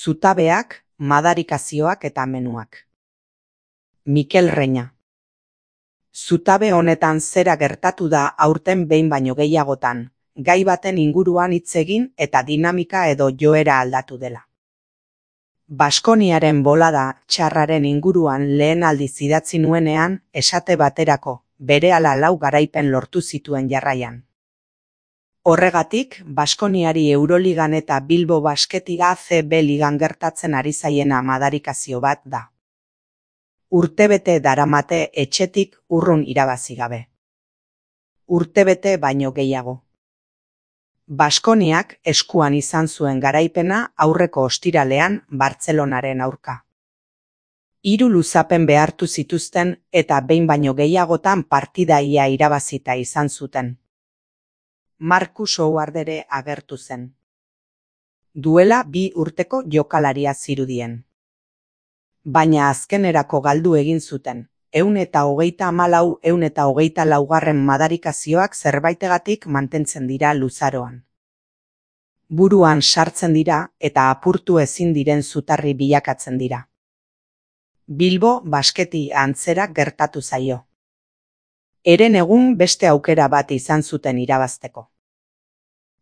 Zutabeak, madarikazioak eta menuak. Mikel Reina. Zutabe honetan zera gertatu da aurten behin baino gehiagotan, gai baten inguruan hitz egin eta dinamika edo joera aldatu dela. Baskoniaren bolada txarraren inguruan lehen aldiz idatzi nuenean, esate baterako, berehala 4 garaipen lortu zituen jarraian. Horregatik, Baskoniari Euroligan eta Bilbo Basketik ACB ligan gertatzen ari zaiena madarikazio bat da. Urtebete daramate etxetik urrun irabazi gabe. Urtebete baino gehiago. Baskoniak eskuan izan zuen garaipena aurreko ostiralean Bartzelonaren aurka. 3 luzapen behartu zituzten eta behin baino gehiagotan partida ia irabazita izan zuten. Marcus Howard ere agertu zen. Duela 2 urteko jokalaria zirudien. Baina azkenerako galdu egin zuten, 134 madarikazioak zerbaitegatik mantentzen dira luzaroan. Buruan sartzen dira eta apurtu ezin diren zutarri bilakatzen dira. Bilbo Basketi antzera gertatu zaio. Eren egun beste aukera bat izan zuten irabazteko.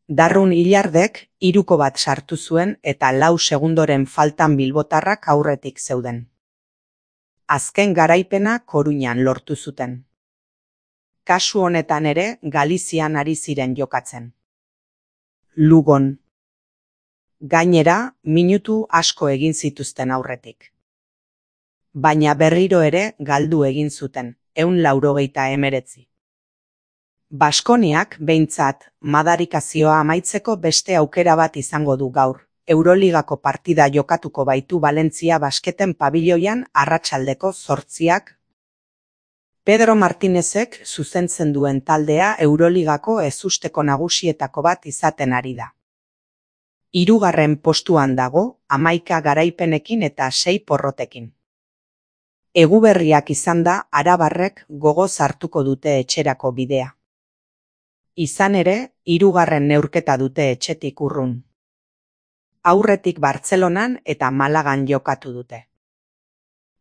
Darrun Illardek 3ko bat sartu zuen eta 4 segundoren faltan bilbotarrak aurretik zeuden. Azken garaipena Koruñan lortu zuten. Kasu honetan ere Galizian ari ziren jokatzen. Lugon. Gainera, minutu asko egin zituzten aurretik. Baina berriro ere galdu egin zuten. 189. Baskoniak behintzat madarikazioa amaitzeko beste aukera bat izango du gaur. Euroligako partida jokatuko baitu Valentzia Basketen pabiloian arratsaldeko 8:00. Pedro Martinezek zuzentzen duen taldea Euroligako ezusteko nagusietako bat izaten ari da. 3. postuan dago, 11 garaipenekin eta 6 porrotekin. Eguberriak izan da arabarrek gogoz hartuko dute etxerako bidea. Izan ere, 3. neurketa dute etxetik urrun. Aurretik Bartzelonan eta Malagan jokatu dute.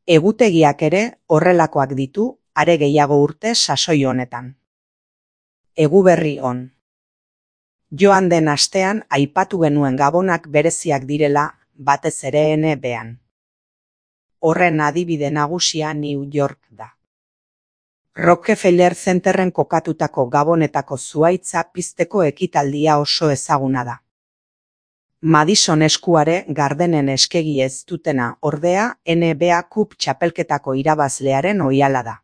Egutegiak ere horrelakoak ditu, are gehiago urte sasoi honetan. Eguberri on. Joan den astean aipatu genuen gabonak bereziak direla, batez ere NBA-an. Horren adibide nagusia New York da. Rockefeller Centerren kokatutako gabonetako zuhaitza pizteko ekitaldia oso ezaguna da. Madison eskuare Gardenen eskegi ez dutena ordea NBA Cup txapelketako irabazlearen oihala da.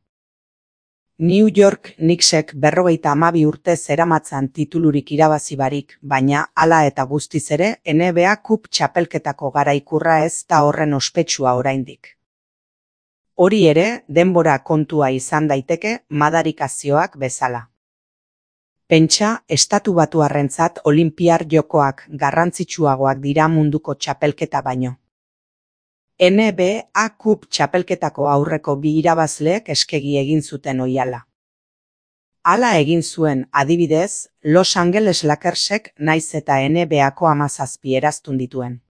New York Knicksek 52 urte zeramatzan titulurik irabazi barik, baina hala eta guztiz ere NBA Cup txapelketako garaikurra ez da horren ospetsua oraindik. Hori ere, denbora kontua izan daiteke madarikazioak bezala. Pentsa, Estatu Batuarrentzat Olinpiar Jokoak garrantzitsuagoak dira munduko txapelketa baino. NBA Cup txapelketako aurreko 2 irabazleek eskegi egin zuten oihala. Hala egin zuen, adibidez, Los Angeles Lakersek naiz eta NBA-ko 17 eraztun dituen.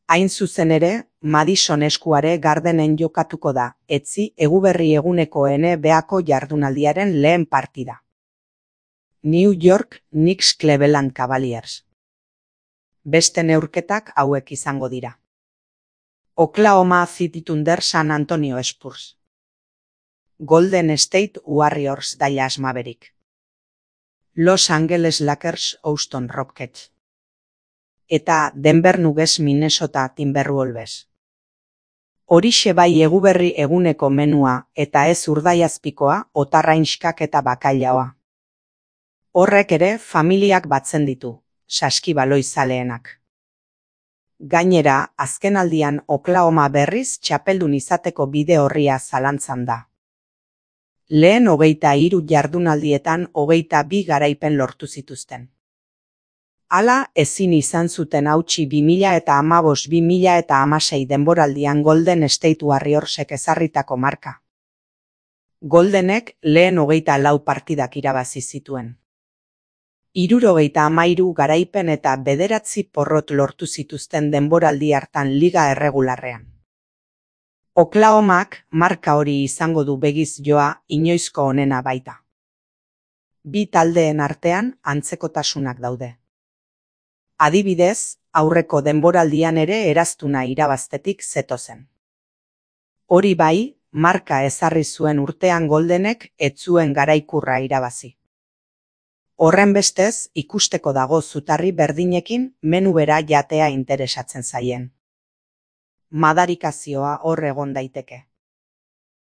Hain zuzen ere, Madison eskuare Gardenen jokatuko da, etzi eguberri eguneko NBA-ko jardunaldiaren lehen partida. New York Knicks Cleveland Cavaliers. Beste neurketak hauek izango dira. Oklahoma City Thunder San Antonio Spurs. Golden State Warriors Dallas Maverick. Los Angeles Lakers Houston Rockets. Eta Denver Nuggets Minnesota Timberwolves. Horixe bai eguberri eguneko menua eta ez urdaiazpikoa, otarrainskak eta bakailaoa. Horrek ere familiak batzen ditu, saskibaloi zaleenak. Gainera, azkenaldian Oklahoma berriz txapeldun izateko bide horria zalantzan da. Lehen 23 jardunaldietan 22 garaipen lortu zituzten. Hala ezin izan zuten hautsi 2015-2016 denboraldian Golden State Warriorsek ezarritako marka. Goldenek lehen 24 partidak irabazi zituen. 73 garaipen eta 9 porrot lortu zituzten denboraldi hartan liga erregularrean. Oklahomak marka hori izango du begiz joa inoizko onena baita. Bi taldeen artean antzekotasunak daude. Adibidez, aurreko denboraldian ere eraztuna irabaztetik zetozen. Hori bai, marka ezarri zuen urtean Goldenek ez zuen garaikurra irabazi. Horrenbestez, ikusteko dago zutarri berdinekin menu bera jatea interesatzen zaien. Madarikazioa hor egon daiteke.